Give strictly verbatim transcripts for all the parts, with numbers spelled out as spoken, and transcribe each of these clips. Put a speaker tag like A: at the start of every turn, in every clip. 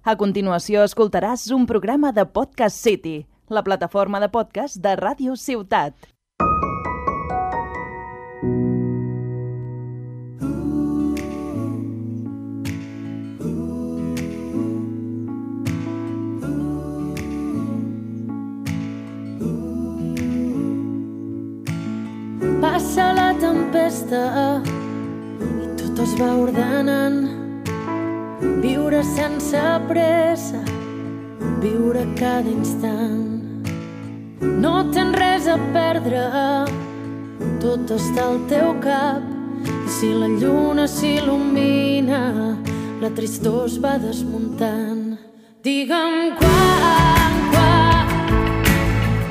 A: A continuació escoltaràs un programa de Podcast City, la plataforma de podcast de Ràdio Ciutat.
B: Passa la tempesta i tot es va ordenant. Viure sense pressa, viure cada instant. No tens res a perdre, tot està al teu cap. I si la lluna s'il·lumina, la tristor es va desmuntant. Digue'm quan, quan,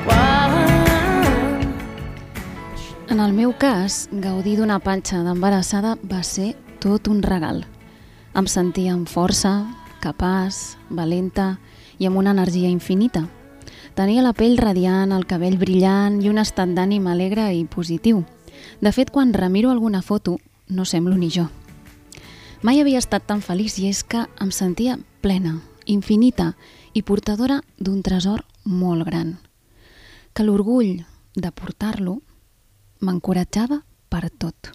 B: quan.
C: En el meu cas, gaudir d'una panxa d'embarassada va ser tot un regal. Em sentia amb força, capaç, valenta i amb una energia infinita. Tenia la pell radiant, el cabell brillant i un estat d'ànim alegre i positiu. De fet, quan remiro alguna foto, no semblo ni jo. Mai havia estat tan feliç i és que em sentia plena, infinita i portadora d'un tresor molt gran. Que l'orgull de portar-lo m'encoratjava per tot.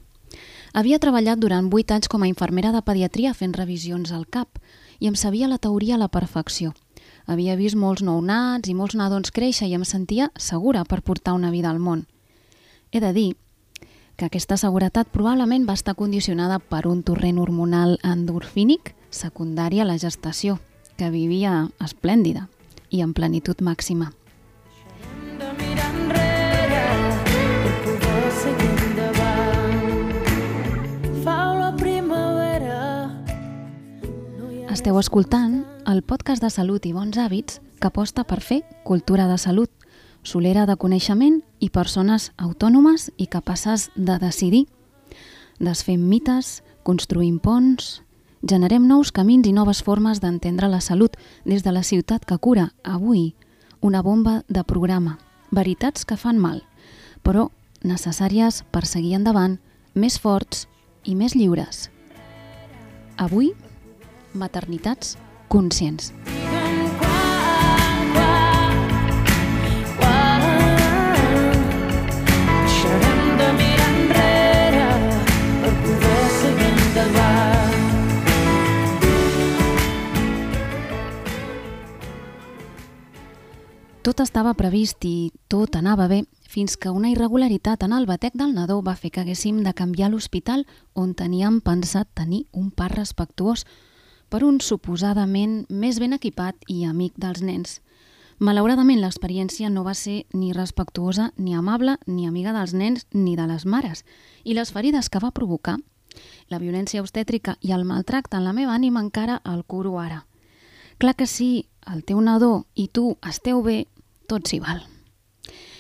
C: Havia treballat durant vuit anys com a infermera de pediatria fent revisions al cap i em sabia la teoria a la perfecció. Havia vist molts nounats i molts nadons créixer i em sentia segura per portar una vida al món. He de dir que aquesta seguretat probablement va estar condicionada per un torrent hormonal endorfínic secundari a la gestació, que vivia esplèndida i en plenitud màxima. Esteu escoltant el podcast de salut i bons hàbits que aposta per fer cultura de salut, solera de coneixement i persones autònomes i capaces de decidir. Desfem mites, construïm ponts, generem nous camins i noves formes d'entendre la salut des de la ciutat que cura avui una bomba de programa. Veritats que fan mal, però necessàries per seguir endavant, més forts i més lliures. Avui, maternitats conscients. Tot estava previst i tot anava bé fins que una irregularitat en el batec del nadó va fer que haguéssim de canviar l'hospital on teníem pensat tenir un part respectuós per un suposadament més ben equipat i amic dels nens. Malauradament, l'experiència no va ser ni respectuosa, ni amable, ni amiga dels nens, ni de les mares. I les ferides que va provocar, la violència obstètrica i el maltracte en la meva ànima encara el curo ara. Clar que si el teu nadó i tu esteu bé, tot s'hi val.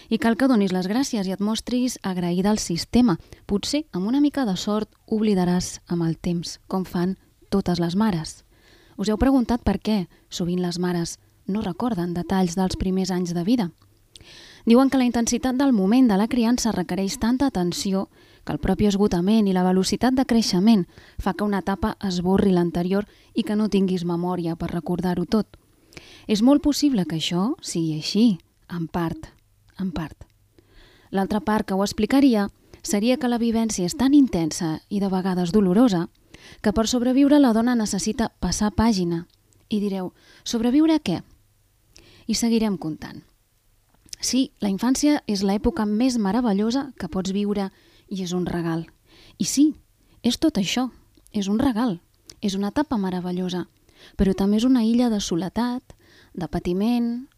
C: I cal que donis les gràcies i et mostris agraïda al sistema. Potser, amb una mica de sort, oblidaràs amb el temps, com fan totes les mares. Us heu preguntat per què sovint les mares no recorden detalls dels primers anys de vida? Diuen que la intensitat del moment de la criança requereix tanta atenció que el propi esgotament i la velocitat de creixement fa que una etapa esborri l'anterior i que no tinguis memòria per recordar-ho tot. És molt possible que això sigui així, en part, en part. L'altra part que ho explicaria seria que la vivència és tan intensa i de vegades dolorosa que per sobreviure la dona necessita passar pàgina. I direu, sobreviure a què? I seguirem comptant. Sí, la infància és l'època més meravellosa que pots viure i és un regal. I sí, és tot això, és un regal, és una etapa meravellosa, però també és una illa de soledat, de patiment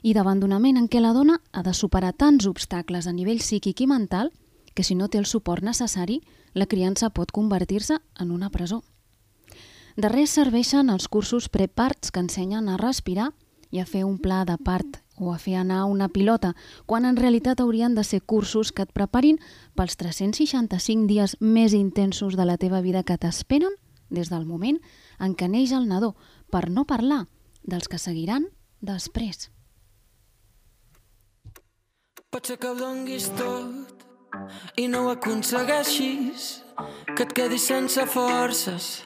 C: i d'abandonament en què la dona ha de superar tants obstacles a nivell psíquic i mental que si no té el suport necessari, la criança pot convertir-se en una presó. De res serveixen els cursos preparts que ensenyen a respirar i a fer un pla de part o a fer anar una pilota, quan en realitat haurien de ser cursos que et preparin pels tres-cents seixanta-cinc dies més intensos de la teva vida que t'esperen des del moment en què neix el nadó, per no parlar dels que seguiran després.
D: Pot ser que ho donguis tot i no ho aconsegueixis, que et quedis sense forces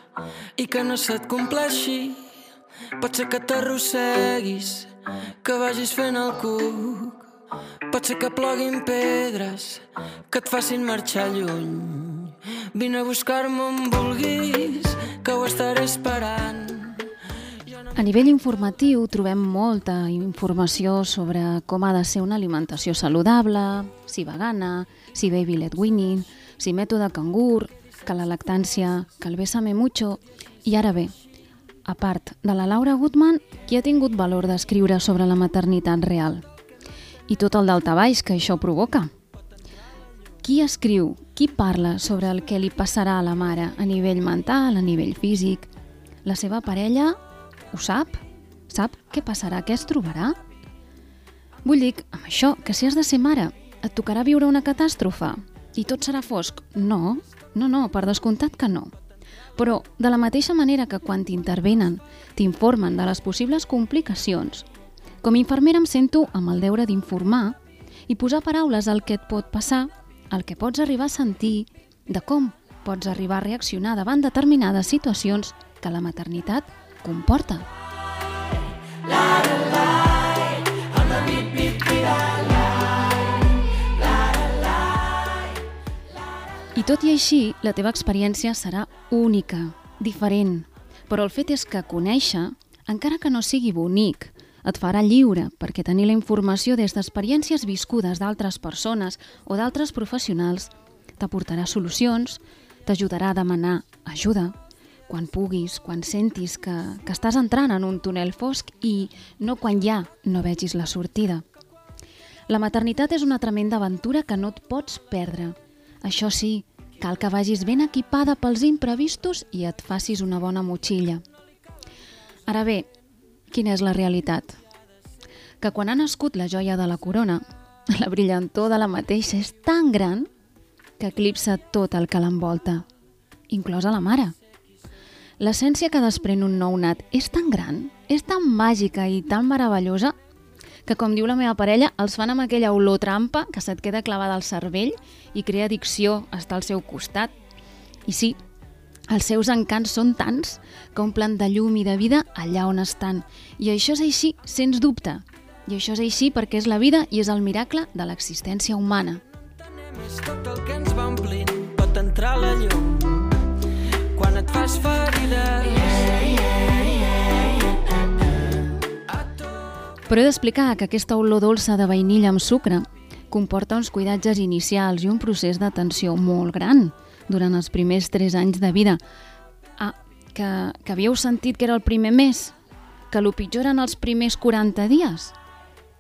D: i que no se't compleixi pot ser que t'arrosseguis, que vagis fent el cuc. Pot ser que ploguin pedres, que et facin marxar lluny. Vine a buscar-me on vulguis, que ho estaré esperant.
C: A nivell informatiu trobem molta informació sobre com ha de ser una alimentació saludable, si vegana, si baby led weaning, si mètode cangur, que la lactància, que el bésame mucho. I ara bé, a part de la Laura Gutman, qui ha tingut valor d'escriure sobre la maternitat real? I tot el daltabaix que això provoca. Qui escriu, qui parla sobre el que li passarà a la mare a nivell mental, a nivell físic? La seva parella ho sap? Sap què passarà, què es trobarà? Vull dir, amb això, que si has de ser mare, et tocarà viure una catàstrofe i tot serà fosc? No, no, no, per descomptat que no. Però, de la mateixa manera que quan t'intervenen, t'informen de les possibles complicacions, com a infermera em sento amb el deure d'informar i posar paraules al que et pot passar, el que pots arribar a sentir, de com pots arribar a reaccionar davant determinades situacions que la maternitat comporta. I tot i així, la teva experiència serà única, diferent. Però el fet és que conèixer, encara que no sigui bonic, et farà lliure, perquè tenir la informació des d'experiències viscudes d'altres persones o d'altres professionals t'aportarà solucions, t'ajudarà a demanar ajuda, quan puguis, quan sentis que, que estàs entrant en un túnel fosc i no quan ja no vegis la sortida. La maternitat és una tremenda aventura que no et pots perdre. Això sí, cal que vagis ben equipada pels imprevistos i et facis una bona motxilla. Ara bé, quina és la realitat? Que quan ha nascut la joia de la corona, la brillantor de la mateixa és tan gran que eclipsa tot el que l'envolta, inclosa la mare. L'essència que desprèn un nounat és tan gran, és tan màgica i tan meravellosa que, com diu la meva parella, els fan amb aquella olor trampa que se't queda clavada al cervell i crea addicció estar al seu costat. I sí, els seus encants són tants que omplen de llum i de vida allà on estan. I això és així, sens dubte. I això és així perquè és la vida i és el miracle de l'existència humana.
D: És tot el que ens va omplint, pot entrar la llum quan et fas ferida.
C: Però he d'explicar que aquesta olor dolça de vainilla amb sucre comporta uns cuidatges inicials i un procés d'atenció molt gran durant els primers tres anys de vida. Ah, que, que havíeu sentit que era el primer mes? Que el pitjor eren els primers quaranta dies?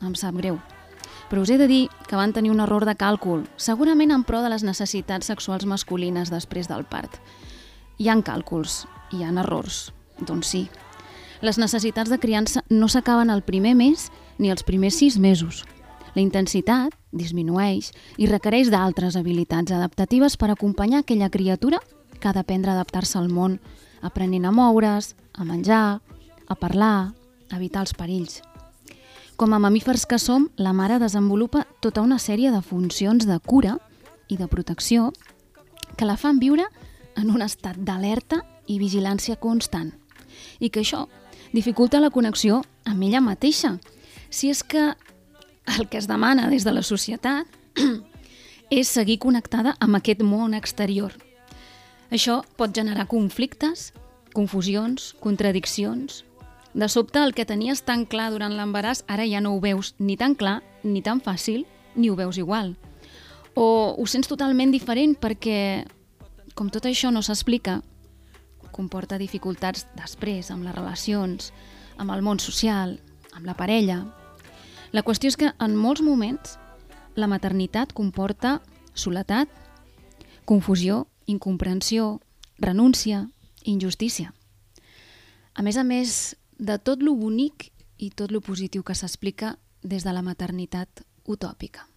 C: Em sap greu. Però us he de dir que van tenir un error de càlcul, segurament en pro de les necessitats sexuals masculines després del part. Hi ha càlculs, hi ha errors, doncs sí. Les necessitats de criança no s'acaben el primer mes ni els primers sis mesos. La intensitat disminueix i requereix d'altres habilitats adaptatives per acompanyar aquella criatura que ha d'aprendre a adaptar-se al món, aprenent a moure's, a menjar, a parlar, a evitar els perills. Com a mamífers que som, la mare desenvolupa tota una sèrie de funcions de cura i de protecció que la fan viure en un estat d'alerta i vigilància constant. I que això dificulta la connexió amb ella mateixa. Si és que el que es demana des de la societat és seguir connectada amb aquest món exterior. Això pot generar conflictes, confusions, contradiccions. De sobte, el que tenies tan clar durant l'embaràs, ara ja no ho veus ni tan clar, ni tan fàcil, ni ho veus igual. O ho sents totalment diferent perquè, com tot això no s'explica, comporta dificultats després amb les relacions, amb el món social, amb la parella. La qüestió és que en molts moments la maternitat comporta soledat, confusió, incomprensió, renúncia, injustícia. A més a més de tot lo bonic i tot lo positiu que s'explica des de la maternitat utòpica.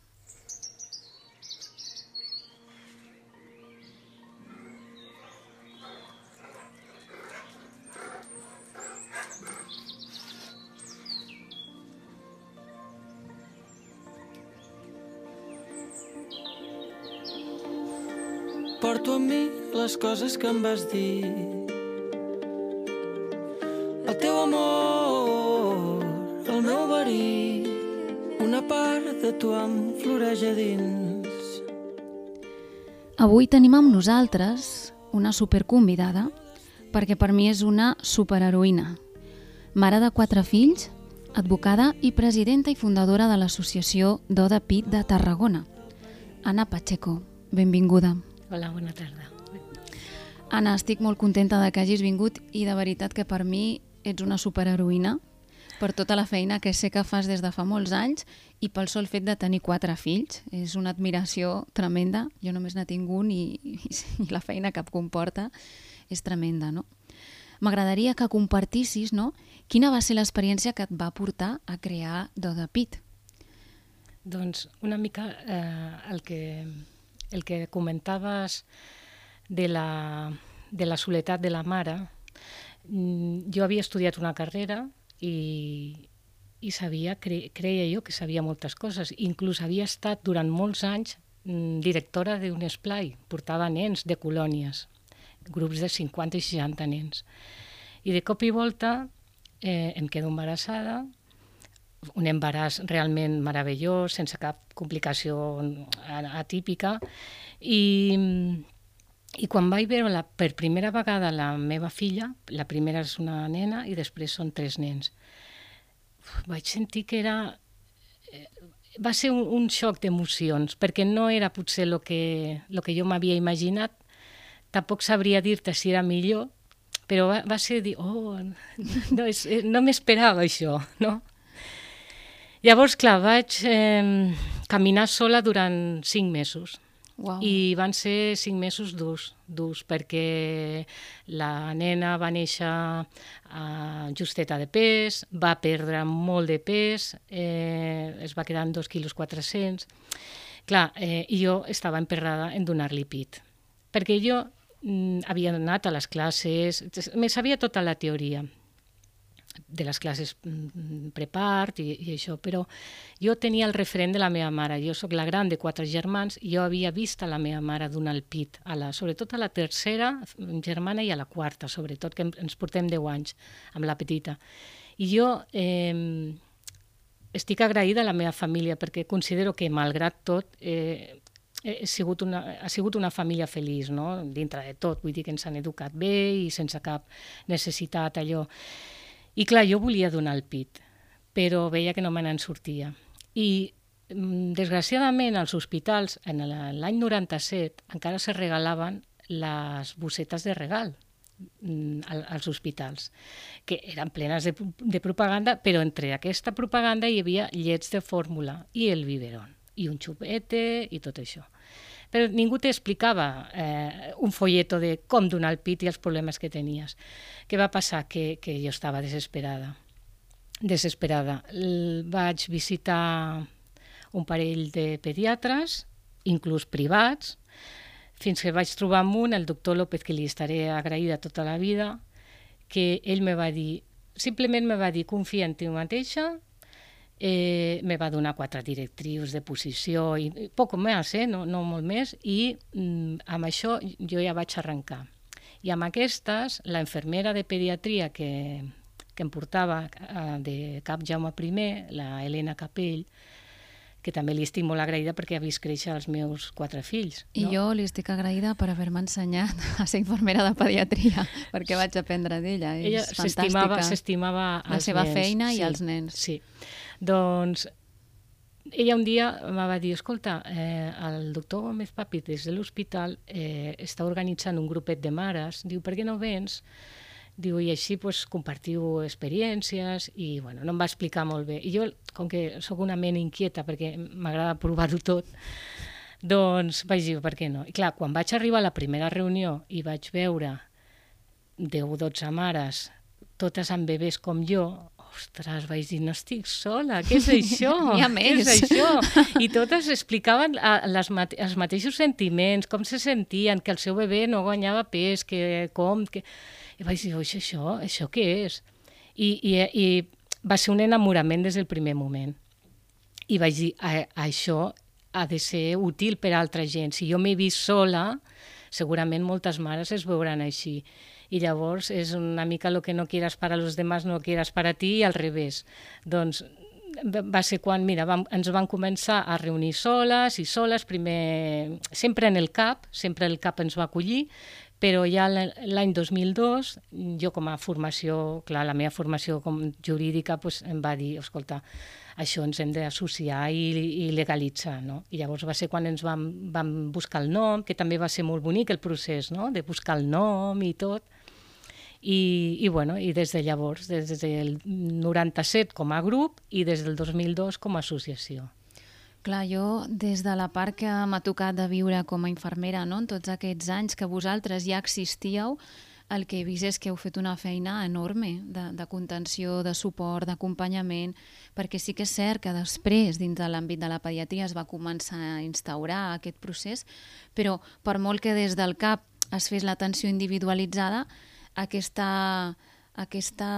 D: Porto amb mi les coses que em vas dir. el teu amor, el meu verí, una part de tu em floreix a dins.
C: Avui tenim amb nosaltres una superconvidada, perquè per mi és una superheroïna. Mare de quatre fills, advocada i presidenta i fundadora de l'associació Doda Pit de Tarragona. Anna Pacheco, benvinguda.
E: Hola, bona tarda.
C: Anna, estic molt contenta de que hagis vingut i de veritat que per mi ets una superheroïna per tota la feina que sé que fas des de fa molts anys i pel sol fet de tenir quatre fills. És una admiració tremenda. Jo només n'he tingut i, i, i la feina que comporta és tremenda, no? M'agradaria que compartissis, no?, quina va ser l'experiència que et va portar a crear Doda Pit.
E: Doncs una mica eh, el, que, el que comentaves de la, de la soledat de la mare. Jo havia estudiat una carrera i, i sabia, cre, creia jo que sabia moltes coses. Inclús havia estat durant molts anys directora d'un esplai, portava nens de colònies, grups de cinquanta i seixanta nens. I de cop i volta eh, em quedo embarassada, un embaràs realment meravellós, sense cap complicació atípica, i, i quan vaig veure la, per primera vegada la meva filla, la primera és una nena i després són tres nens, vaig sentir que era... Va ser un, un xoc d'emocions, perquè no era potser el que, lo que jo m'havia imaginat, tampoc sabria dir-te si era millor, però va, va ser dir, oh, no, és, no m'esperava això, no? Llavors, clar, vaig eh, caminar sola durant cinc mesos.
C: Wow.
E: I van ser cinc mesos durs, durs, perquè la nena va néixer uh, justeta de pes, va perdre molt de pes, eh, es va quedar en dos quilos quatre-cents. Clar, eh, i jo estava emperrada en donar-li pit, perquè jo mm, havia anat a les classes, me sabia tota la teoria de les classes prepart i, i això, però jo tenia el referent de la meva mare. Jo sóc la gran de quatre germans i jo havia vist a la meva mare donar el pit, a la, sobretot a la tercera germana i a la quarta, sobretot, que ens portem deu anys amb la petita. I jo eh, estic agraïda a la meva família perquè considero que, malgrat tot, eh, he sigut una, ha sigut una família feliç, no? Dintre de tot, vull dir que ens han educat bé i sense cap necessitat allò. I clar, jo volia donar el pit, però veia que no me n'en sortia. I, desgraciadament, als hospitals, en l'any noranta-set, encara se regalaven les bossetes de regal als hospitals, que eren plenes de, de propaganda, però entre aquesta propaganda hi havia llets de fórmula i el biberón, i un xupete i tot això. Però ningú t'explicava eh, un folleto de com donar el pit i els problemes que tenies. Què va passar? Que, que jo estava desesperada. Desesperada. L vaig visitar un parell de pediatres, inclús privats, fins que vaig trobar amb un, el doctor López, que li estaré agraïda tota la vida, que ell me va dir, simplement me va dir, confia en tu mateixa. Eh, me va donar quatre directrius de posició i, i poc més, eh? no, no molt més, i mm, amb això jo ja vaig arrencar. I amb aquestes, la infermera de pediatria que, que em portava eh, de Cap Jaume primer, la Helena Capell, que també li estic molt agraïda perquè ha vist créixer els meus quatre fills.
C: I
E: no?
C: jo li estic agraïda per haver-me ensenyat a ser infermera de pediatria, perquè vaig aprendre d'ella.
E: Ella
C: És fantàstica.
E: S'estimava
C: la seva
E: nens.
C: feina
E: Sí,
C: i els nens.
E: Sí. Doncs ella un dia em va dir, escolta, eh, el doctor Gómez Papi des de l'hospital eh, està organitzant un grupet de mares, diu, per què no vens? Diu, i així pues, compartiu experiències, i bueno, no em va explicar molt bé. I jo, com que sóc una ment inquieta, perquè m'agrada provar-ho tot, doncs vaig dir, per què no? I clar, quan vaig arribar a la primera reunió i vaig veure deu o dotze mares, totes amb bebès com jo, ostres, vaig dir, no estic sola, què és això?
C: N'hi ha més.
E: Què és això? I totes explicaven les mate els mateixos sentiments, com se sentien, que el seu bebè no guanyava pes, que com... Que... I vaig dir, oix, això, això què és? I, i, I va ser un enamorament des del primer moment. I vaig dir, a, això ha de ser útil per a altra gent. Si jo m'he vist sola, segurament moltes mares es veuran així. I llavors és una mica lo que no quieras para los demás, no quieras para ti, i al revés. Doncs va ser quan, mira, vam, ens van començar a reunir soles i soles, primer, sempre en el C A P, sempre el C A P ens va acollir, però ja l'any dos mil dos, jo com a formació, clar, la meva formació com jurídica pues, em va dir, escolta, això ens hem d'associar i, i legalitzar, no? I llavors va ser quan ens vam, vam buscar el nom, que també va ser molt bonic el procés, no?, de buscar el nom i tot. I, i, bueno, i des de llavors, des del noranta-set com a grup i des del dos mil dos com a associació.
C: Clar, jo, des de la part que m'ha tocat de viure com a infermera, no?, en tots aquests anys que vosaltres ja existíeu, el que he vist és que heu fet una feina enorme de, de contenció, de suport, d'acompanyament, perquè sí que és cert que després, dins de l'àmbit de la pediatria, es va començar a instaurar aquest procés, però per molt que des del C A P es fes l'atenció individualitzada, aquesta, aquesta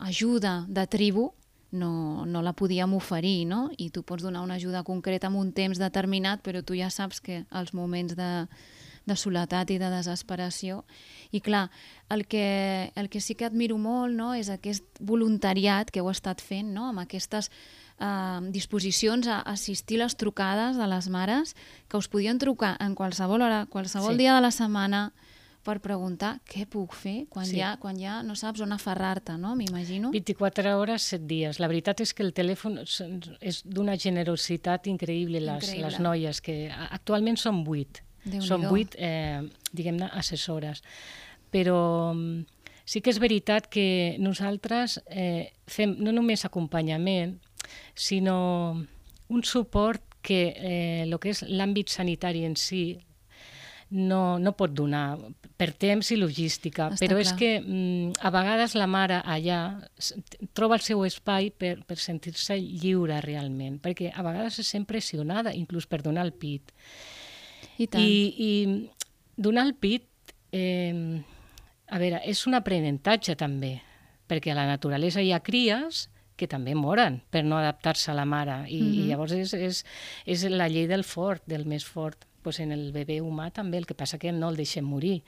C: ajuda de tribu no, no la podíem oferir, no? I tu pots donar una ajuda concreta en un temps determinat, però tu ja saps que els moments de, de soledat i de desesperació... I clar, el que, el que sí que admiro molt, no?, és aquest voluntariat que heu estat fent, no?, amb aquestes eh, disposicions a assistir les trucades de les mares, que us podien trucar en qualsevol hora, qualsevol sí. dia de la setmana, per preguntar què puc fer quan, sí. ja, quan ja no saps on aferrar-te, no?, m'imagino.
E: vint-i-quatre hores, set dies. La veritat és que el telèfon és d'una generositat increïble, les, increïble. les noies, que actualment són vuit. Són vuit, eh, diguem-ne, assessores. Però sí que és veritat que nosaltres eh, fem no només acompanyament, sinó un suport que eh, el que és l'àmbit sanitari en si no, no pot donar per temps i logística. Està però clar. És que mm, a vegades la mare allà troba el seu espai per, per sentir-se lliure realment, perquè a vegades es sent pressionada, inclús per donar el pit. I, tant. I, i donar el pit, eh, a veure, és un aprenentatge també, perquè a la naturalesa hi ha cries que també moren per no adaptar-se a la mare, i, mm-hmm. i llavors és, és, és la llei del fort, del més fort. Pues en el bebè humà també, el que passa que no el deixem morir.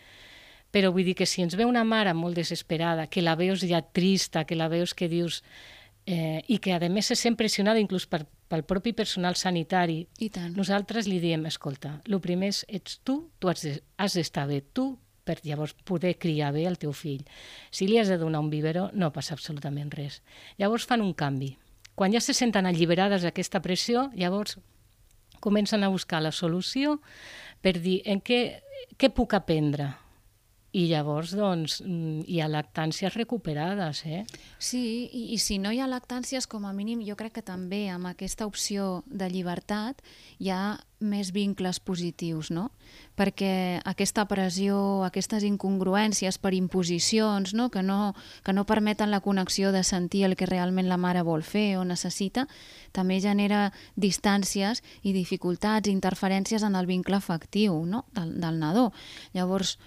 E: Però vull dir que si ens ve una mare molt desesperada, que la veus ja trista, que la veus que dius... Eh, i que a més se sent pressionada inclús per, pel propi personal sanitari, nosaltres li diem, escolta, el primer és, ets tu, tu has, de, has d'estar bé tu per llavors poder criar bé el teu fill. Si li has de donar un biberó no passa absolutament res. Llavors fan un canvi. Quan ja se senten alliberades d'aquesta pressió, llavors comencen a buscar la solució per dir en què, què puc aprendre. I llavors, doncs, hi ha lactàncies recuperades, eh?
C: Sí, i, i si no hi ha lactàncies, com a mínim, jo crec que també amb aquesta opció de llibertat hi ha més vincles positius, no? Perquè aquesta pressió, aquestes incongruències per imposicions, no? Que no, que no permeten la connexió de sentir el que realment la mare vol fer o necessita, també genera distàncies i dificultats, interferències en el vincle afectiu, no? del, del nadó. Llavors,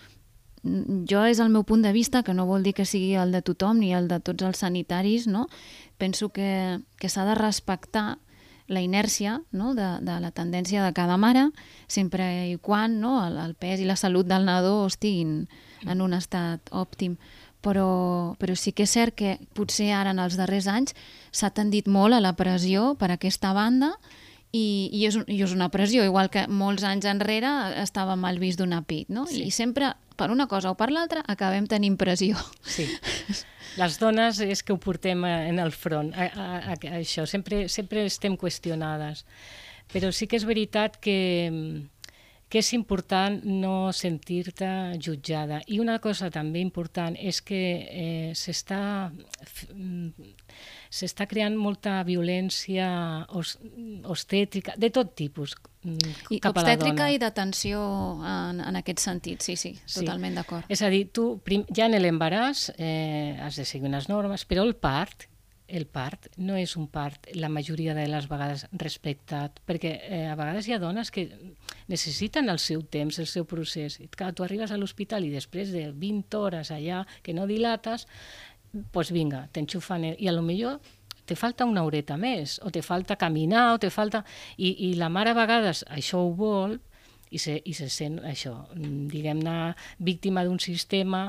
C: jo és el meu punt de vista, que no vol dir que sigui el de tothom ni el de tots els sanitaris, no? Penso que, que s'ha de respectar la inèrcia, no? de, de la tendència de cada mare, sempre i quan, no? el, el pes i la salut del nadó estiguin en un estat òptim. Però, però sí que és cert que potser ara en els darrers anys s'ha tendit molt a la pressió per aquesta banda, i, i, és, i és una pressió, igual que molts anys enrere estava mal vist donar pit, no? Sí. I sempre, per una cosa o per l'altra, acabem tenint pressió.
E: Sí. Les dones és que ho portem en el front, a, a, a, a això, sempre, sempre estem qüestionades. Però sí que és veritat que, que és important no sentir-te jutjada. I una cosa també important és que eh, s'està... s'està creant molta violència obstètrica, de tot tipus,
C: I
E: cap a la dona.
C: Obstètrica i d'atenció en, en aquest sentit, sí, sí, totalment sí. d'acord.
E: És a dir, tu prim, ja en l'embaràs eh, has de seguir unes normes, però el part, el part no és un part, la majoria de les vegades respectat, perquè eh, a vegades hi ha dones que necessiten el seu temps, el seu procés. I, clar, tu arribes a l'hospital i després de vint hores allà que no dilates, doncs vinga, t'enxufen, i a lo millor te falta una horeta més, o te falta caminar, o te falta... I, i la mare a vegades això ho vol, i se, i se sent això, diguem-ne, víctima d'un sistema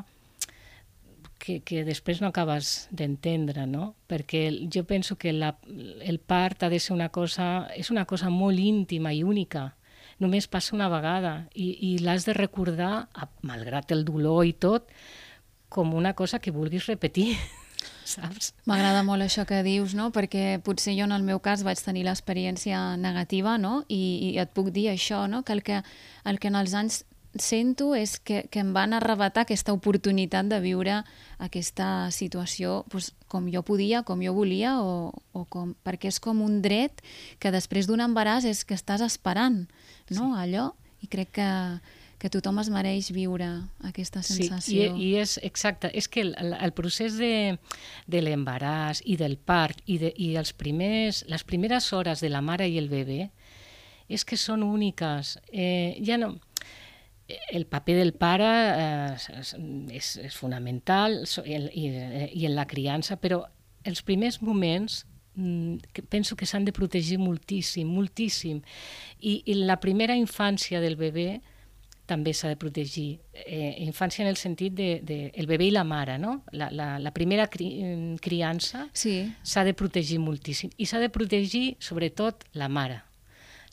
E: que, que després no acabes d'entendre, no? Perquè jo penso que la, el part ha de ser una cosa, és una cosa molt íntima i única, només passa una vegada i, i l'has de recordar, malgrat el dolor i tot, com una cosa que vulguis repetir, saps?
C: M'agrada molt això que dius, no? Perquè potser jo en el meu cas vaig tenir l'experiència negativa, no? I, i et puc dir això, no? Que el que, el que en els anys sento és que, que em van arrebatar aquesta oportunitat de viure aquesta situació doncs, com jo podia, com jo volia, o, o com, perquè és com un dret que després d'un embaràs és que estàs esperant, no? Sí. Allò, i crec que, que tothom es mereix viure aquesta sensació.
E: Sí, i, i és exacte, és que el, el procés de, de l'embaràs i del part i, de, i els primers, les primeres hores de la mare i el bebè és que són úniques. Eh, ja no... El paper del pare eh, és, és fonamental i, i, i en la criança, però els primers moments que penso que s'han de protegir moltíssim, moltíssim. I, i la primera infància del bebè també s'ha de protegir. Eh, infància en el sentit de, de el bebè i la mare, no? La, la, la primera cri, criança
C: sí.
E: S'ha de protegir moltíssim. I s'ha de protegir sobretot la mare.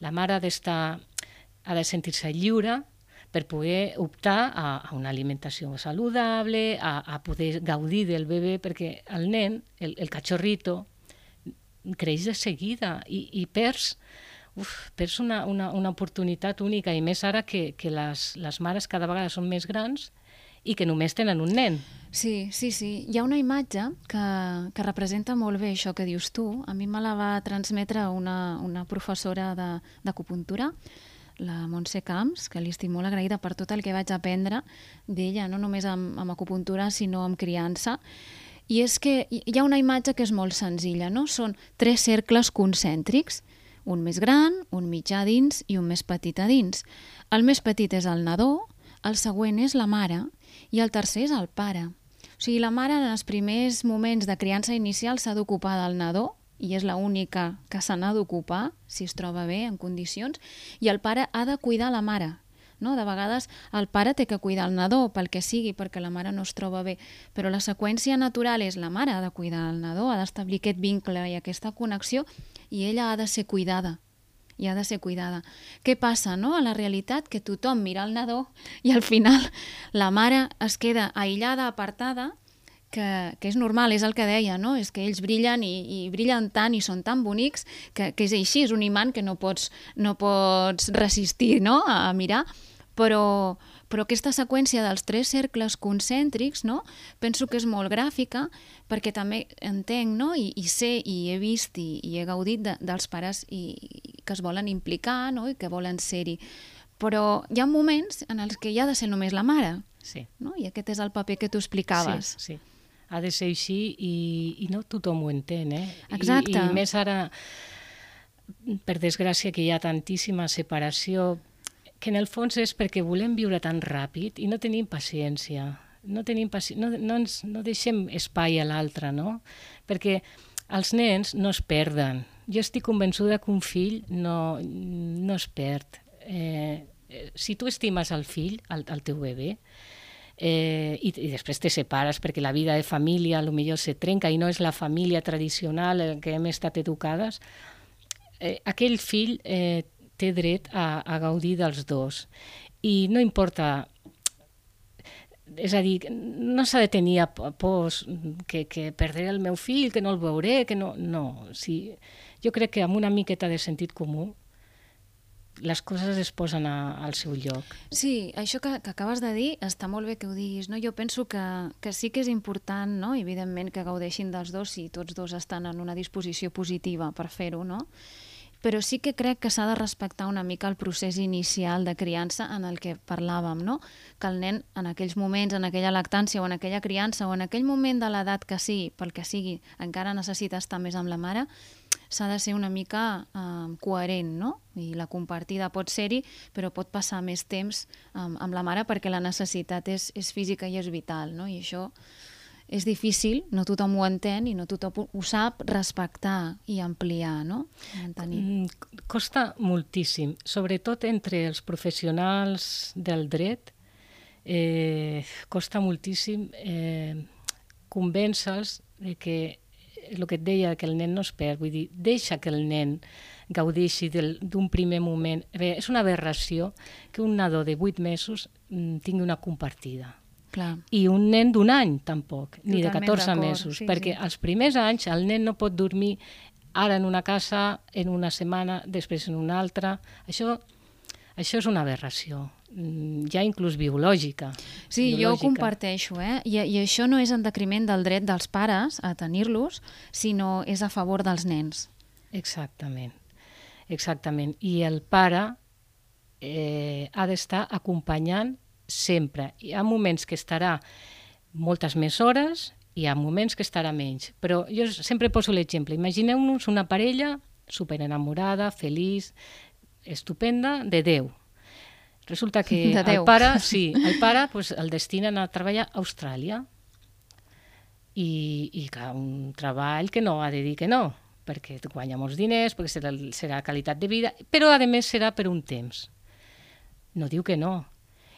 E: La mare ha d'estar, ha de sentir-se lliure per poder optar a, a una alimentació saludable, a, a poder gaudir del bebè, perquè el nen, el, el cachorrito, creix de seguida i, i perds, uf, perds una, una, una oportunitat única, i més ara que, que les, les mares cada vegada són més grans i que només tenen un nen.
C: Sí, sí, sí. Hi ha una imatge que, que representa molt bé això que dius tu. A mi me la va transmetre una, una professora de, d'acupuntura, la Montse Camps, que li estic molt agraïda per tot el que vaig aprendre d'ella, no només amb, amb acupuntura, sinó amb criança. I és que hi ha una imatge que és molt senzilla, no? Són tres cercles concèntrics, un més gran, un mitjà dins i un més petit a dins. El més petit és el nadó, el següent és la mare i el tercer és el pare. O sigui, la mare en els primers moments de criança inicial s'ha d'ocupar del nadó, i és l'única que se n'ha d'ocupar, si es troba bé, en condicions, i el pare ha de cuidar la mare. No? De vegades el pare té que cuidar el nadó, pel que sigui, perquè la mare no es troba bé, però la seqüència natural és la mare ha de cuidar el nadó, ha d'establir aquest vincle i aquesta connexió, i ella ha de ser cuidada, i ha de ser cuidada. Què passa, no? A la realitat, que tothom mira el nadó i al final la mare es queda aïllada, apartada, Que, que és normal, és el que deia, no? És que ells brillen i, i brillen tant i són tan bonics que, que és així, és un imant que no pots, no pots resistir, no? a, a mirar, però, però aquesta seqüència dels tres cercles concèntrics, no? Penso que és molt gràfica perquè també entenc, no? I, i sé i he vist i, i he gaudit de, dels pares i, i que es volen implicar, no? I que volen ser-hi. Però hi ha moments en els que hi ha de ser només la mare,
E: sí.
C: No? I aquest és el paper que tu explicaves.
E: Sí, sí. Ha de ser així i, i no tothom ho entén, eh?
C: Exacte.
E: I, I més ara, per desgràcia, que hi ha tantíssima separació, que en el fons és perquè volem viure tan ràpid i no tenim paciència. No, tenim paci... no, no, ens, no deixem espai a l'altre, no? Perquè els nens no es perden. Jo estic convençuda que un fill no, no es perd. Eh, si tu estimes el fill, el, el teu bebè, Eh, i, i després te separes perquè la vida de família potser se trenca i no és la família tradicional en què hem estat educades, eh, aquell fill eh, té dret a, a gaudir dels dos i no importa, és a dir, no s'ha de tenir pors que, que perdré el meu fill, que no el veuré, que no, no. Sí, jo crec que amb una miqueta de sentit comú les coses es posen a, al seu lloc.
C: Sí, això que, que acabes de dir està molt bé que ho diguis, no? Jo penso que, que sí que és important, no? Evidentment, que gaudeixin dels dos si tots dos estan en una disposició positiva per fer-ho, no? Però sí que crec que s'ha de respectar una mica el procés inicial de criança en el que parlàvem, no? Que el nen en aquells moments, en aquella lactància o en aquella criança o en aquell moment de l'edat que sigui, pel que sigui, encara necessita estar més amb la mare, s'ha de ser una mica eh, coherent, no? I la compartida pot ser-hi, però pot passar més temps amb, amb la mare perquè la necessitat és, és física i és vital, no? I això és difícil, no tothom ho entén i no tothom ho sap respectar i ampliar, no? Mantenir.
E: Costa moltíssim, sobretot entre els professionals del dret, eh, costa moltíssim eh, convèncer-los de que el que et deia, que el nen no es perd, vull dir, deixa que el nen gaudeixi d'un primer moment. Bé, és una aberració que un nadó de vuit mesos mm, tingui una compartida.
C: Clar.
E: I un nen d'un any tampoc, ni de
C: Totalment
E: catorze
C: d'acord,
E: mesos,
C: sí,
E: perquè
C: sí.
E: els primers anys el nen no pot dormir ara en una casa, en una setmana, després en una altra. Això, això és una aberració, mm, ja inclús biològica.
C: Sí,
E: biològica.
C: jo ho comparteixo, eh? I, I això no és en detriment del dret dels pares a tenir-los, sinó és a favor dels nens.
E: Exactament, exactament. I el pare eh, ha d'estar acompanyant sempre. Hi ha moments que estarà moltes més hores i hi ha moments que estarà menys. Però jo sempre poso l'exemple. Imagineu-nos una parella superenamorada, feliç, estupenda, de Déu. Resulta que
C: De Déu.
E: el pare, sí, el pare pues, el destinen a treballar a Austràlia i, i clar, un treball que no ha de dir que no, perquè guanya molts diners, perquè serà, serà qualitat de vida, però a més serà per un temps. No diu que no.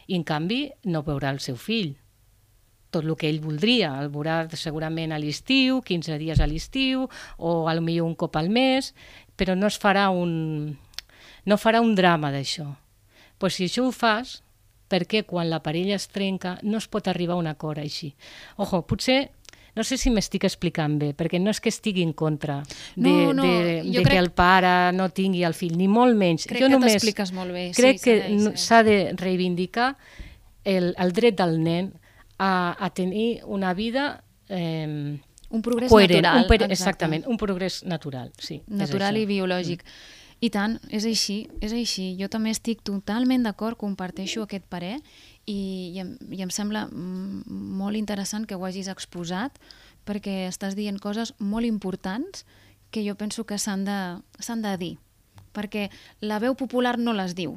E: I en canvi no veurà el seu fill. Tot el que ell voldria, el veurà segurament a l'estiu, quinze dies a l'estiu, o potser un cop al mes, però no es farà un, no farà un drama d'això. Pues si això ho fas, perquè quan la parella es trenca no es pot arribar a un acord així. Ojo, potser, no sé si m'estic explicant bé, perquè no és que estigui en contra de,
C: No, no,
E: de,
C: jo
E: de
C: crec-
E: que el pare no tingui el fill, ni molt menys.
C: Crec
E: jo
C: que
E: només
C: t'expliques molt bé.
E: crec
C: sí,
E: que
C: segueix,
E: no-
C: segueix.
E: s'ha de reivindicar el, el dret del nen a, a tenir una vida eh,
C: Un progrés
E: coherent,
C: natural.
E: un per,
C: exacte.
E: exactament, un progrés natural, sí. és
C: Natural
E: això.
C: i biològic. I tant, és així, és així. Jo també estic totalment d'acord, comparteixo aquest parer i, i, em, i em sembla mm, molt interessant que ho hagis exposat perquè estàs dient coses molt importants que jo penso que s'han de, s'han de dir. Perquè la veu popular no les diu.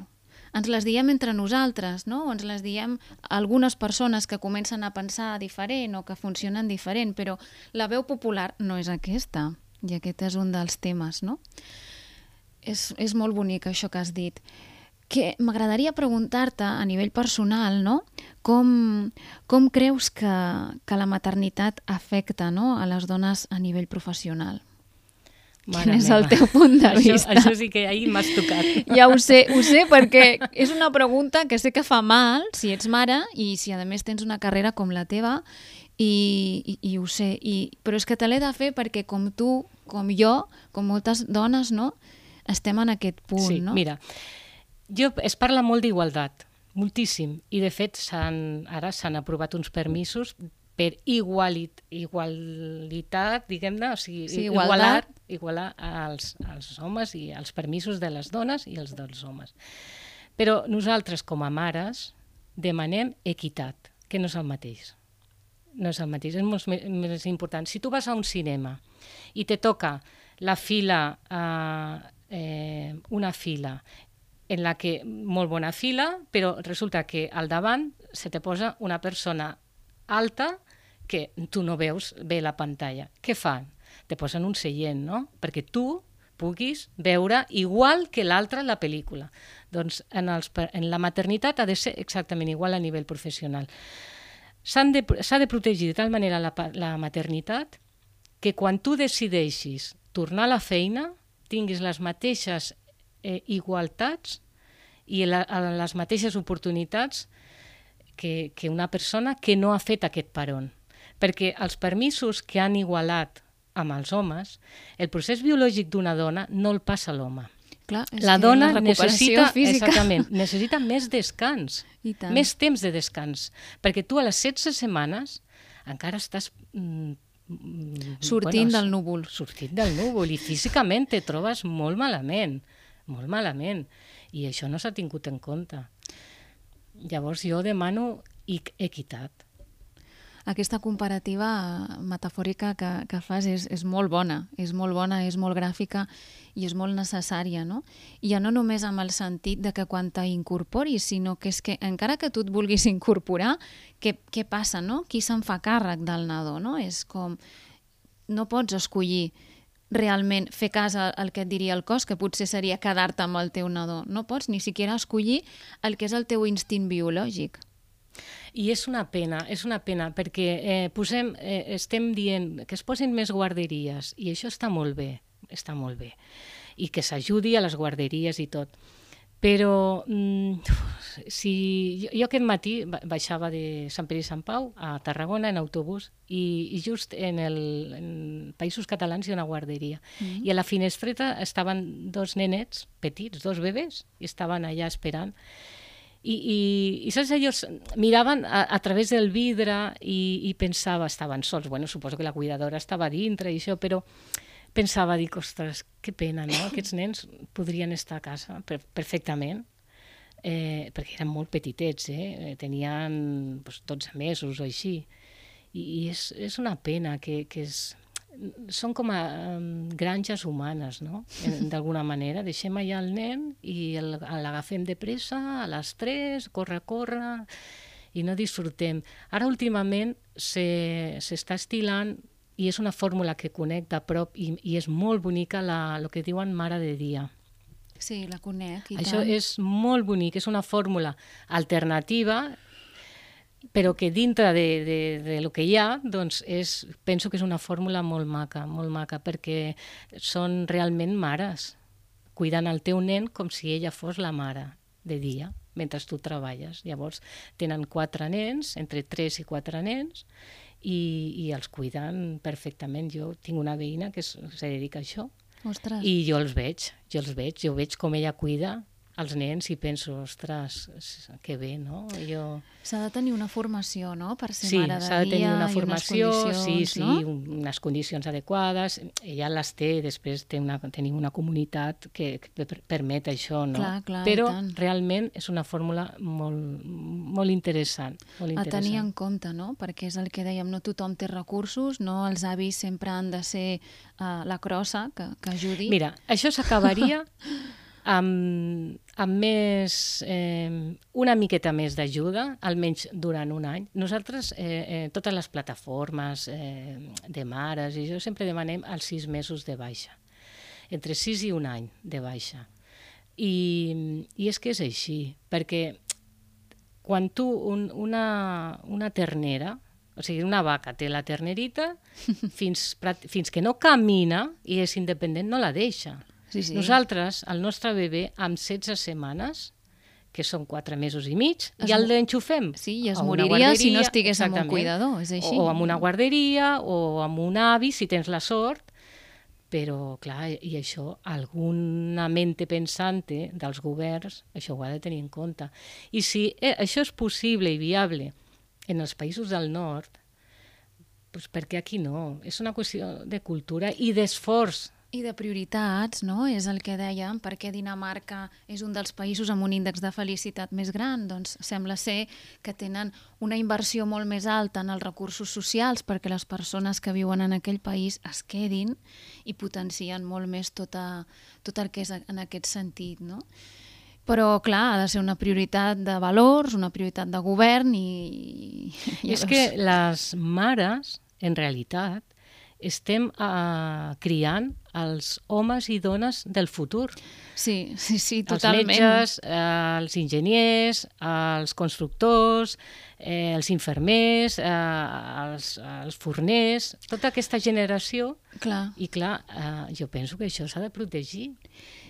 C: Ens les diem entre nosaltres, no? O ens les diem algunes persones que comencen a pensar diferent o que funcionen diferent, però la veu popular no és aquesta. I aquest és un dels temes, no? És, és molt bonic això que has dit. Que m'agradaria preguntar-te a nivell personal, no? Com, com creus que, que la maternitat afecta, no? A les dones a nivell professional?
E: Mare
C: Quin és
E: meva.
C: el teu punt de
E: Això,
C: vista?
E: això sí que ahir m'has tocat.
C: Ja ho sé, ho sé, perquè és una pregunta que sé que fa mal si ets mare i si a més tens una carrera com la teva i, i, i ho sé, I, però és que te l'he de fer perquè com tu, com jo, com moltes dones, no? Estem en aquest punt,
E: Sí,
C: no?
E: mira, jo, es parla molt d'igualtat, moltíssim, i de fet s'han, ara s'han aprovat uns permisos per igualit, igualitat, diguem-ne, o sigui,
C: Sí,
E: igualar,
C: igualtat.
E: igualar als, als homes i els permisos de les dones i els dels homes. Però nosaltres, com a mares, demanem equitat, que no és el mateix. No és el mateix, és molt més, més important. Si tu vas a un cinema i te toca la fila, eh, eh, una fila en la que, molt bona fila, però resulta que al davant se te posa una persona alta que tu no veus bé la pantalla. Què fan? Te posen un seient, no? Perquè tu puguis veure igual que l'altre la pel·lícula. Doncs en, els, en la maternitat ha de ser exactament igual a nivell professional. S'ha de, de protegir de tal manera la, la maternitat que quan tu decideixis tornar a la feina tinguis les mateixes eh, igualtats i la, les mateixes oportunitats que, que una persona que no ha fet aquest peron. Perquè els permisos que han igualat amb els homes, el procés biològic d'una dona no el passa a l'home.
C: Clar, és
E: La
C: que
E: dona
C: la recuperació
E: necessita,
C: física.
E: exactament, necessita més descans,
C: I tant.
E: més temps de descans, perquè tu a les setze setmanes encara estàs mm,
C: Sortint
E: bueno,
C: del núvol.
E: Sortint del núvol i físicament te trobes molt malament, molt malament, i això no s'ha tingut en compte. Llavors jo demano equitat.
C: Aquesta comparativa metafòrica que, que fas és, és molt bona, és molt bona, és molt gràfica i és molt necessària, no? I ja no només amb el sentit de que quan t'incorporis, sinó que és que encara que tu et vulguis incorporar, què, què passa, no? Qui se'n fa càrrec del nadó, no? És com... No pots escollir realment fer cas al que et diria el cos, que potser seria quedar-te amb el teu nadó. No pots ni siquiera escollir el que és el teu instint biològic.
E: I és una pena, és una pena, perquè eh, posem, eh, estem dient que es posin més guarderies, i això està molt bé, està molt bé, i que s'ajudi a les guarderies i tot. Però mm, si jo, jo aquest matí baixava de Sant Pere i Sant Pau a Tarragona en autobús i, i just en, el, en Països Catalans hi ha una guarderia. Mm. I a la finestreta estaven dos nenets petits, dos bebès, i estaven allà esperant. I, i, i saps, ells miraven a, a través del vidre i, i pensava, estaven sols, bueno, suposo que la cuidadora estava dintre i això, però pensava, dic, ostres, que pena, no? Aquests nens podrien estar a casa per, perfectament, eh, perquè eren molt petitets, eh? Tenien doncs, dotze mesos o així, i, i és, és una pena que, que és... Són com a um, granges humanes, no? D'alguna manera. Deixem allà el nen i l'agafem de pressa a les tres, corre, corre, i no disfrutem. Ara, últimament, s'està estilant, i és una fórmula que connecta a prop, i, i és molt bonica, la, el que diuen mare de dia.
C: Sí, la conec, i
E: Això
C: tant.
E: és molt bonic, és una fórmula alternativa, però que dintre de, de, de lo que hi ha, doncs és, penso que és una fórmula molt maca, molt maca, perquè són realment mares, cuidant el teu nen com si ella fos la mare de dia, mentre tu treballes. Llavors tenen quatre nens, entre tres i quatre nens, i, i els cuiden perfectament. Jo tinc una veïna que es, se dedica a això.
C: Ostres.
E: I jo els veig, jo els veig, jo veig com ella cuida els nens i penso, ostres, que bé, no? Jo...
C: S'ha de tenir una formació, no?, per ser
E: sí,
C: mare de dia.
E: Sí, s'ha de tenir una formació,
C: i unes
E: sí, sí,
C: no?
E: unes condicions adequades. Ella les té, després té una, tenim una comunitat que, que permet això, no?
C: Clar, clar,
E: però
C: i tant.
E: realment és una fórmula molt, molt interessant. Molt interessant.
C: A tenir en compte, no?, perquè és el que dèiem, no tothom té recursos, no? Els avis sempre han de ser uh, la crossa que, que ajudi.
E: Mira, això s'acabaria amb, amb més, eh, una miqueta més d'ajuda, almenys durant un any. Nosaltres, eh, eh, totes les plataformes eh, de mares, i jo sempre demanem els sis mesos de baixa, entre sis i un any de baixa. I, i és que és així, perquè quan tu, un, una, una ternera, o sigui, una vaca té la ternerita, fins, fins que no camina i és independent, no la deixa.
C: Sí, sí.
E: Nosaltres, el nostre bebè, amb setze setmanes, que són quatre mesos i mig, es ja l'enxufem.
C: Sí, i es moriria si no estigués amb un cuidador, és així.
E: O amb una guarderia, o amb un avi, si tens la sort. Però, clar, i això, alguna mente pensante dels governs, això ho ha de tenir en compte. I si eh, això és possible i viable en els països del nord, doncs per què aquí no? És una qüestió de cultura i d'esforç.
C: I de prioritats, no? És el que dèiem, perquè Dinamarca és un dels països amb un índex de felicitat més gran, doncs sembla ser que tenen una inversió molt més alta en els recursos socials perquè les persones que viuen en aquell país es quedin i potencien molt més tot, a, tot el que és en aquest sentit, no? Però, clar, ha de ser una prioritat de valors, una prioritat de govern i...
E: I és que les mares, en realitat, estem uh, criant els homes i dones del futur.
C: Sí, sí, sí, totalment.
E: Els metges, eh, els enginyers, els constructors, eh, els infermers, eh, els, els forners, tota aquesta generació.
C: Clar.
E: I clar, eh, jo penso que això s'ha de protegir.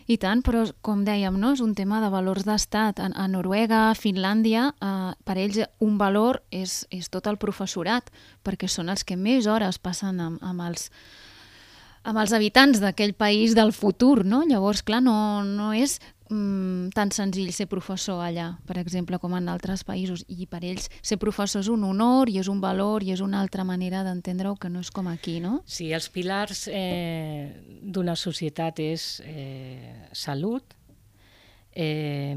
C: I tant, però com dèiem, no? És un tema de valors d'estat. A, a Noruega, a Finlàndia, eh, per ells un valor és, és tot el professorat, perquè són els que més hores passen amb, amb, els, amb els habitants d'aquell país del futur, no? Llavors, clar, no, no és mm, tan senzill ser professor allà, per exemple, com en altres països. I per ells ser professor és un honor i és un valor i és una altra manera d'entendre-ho que no és com aquí, no?
E: Sí, els pilars eh, d'una societat és eh, salut, eh,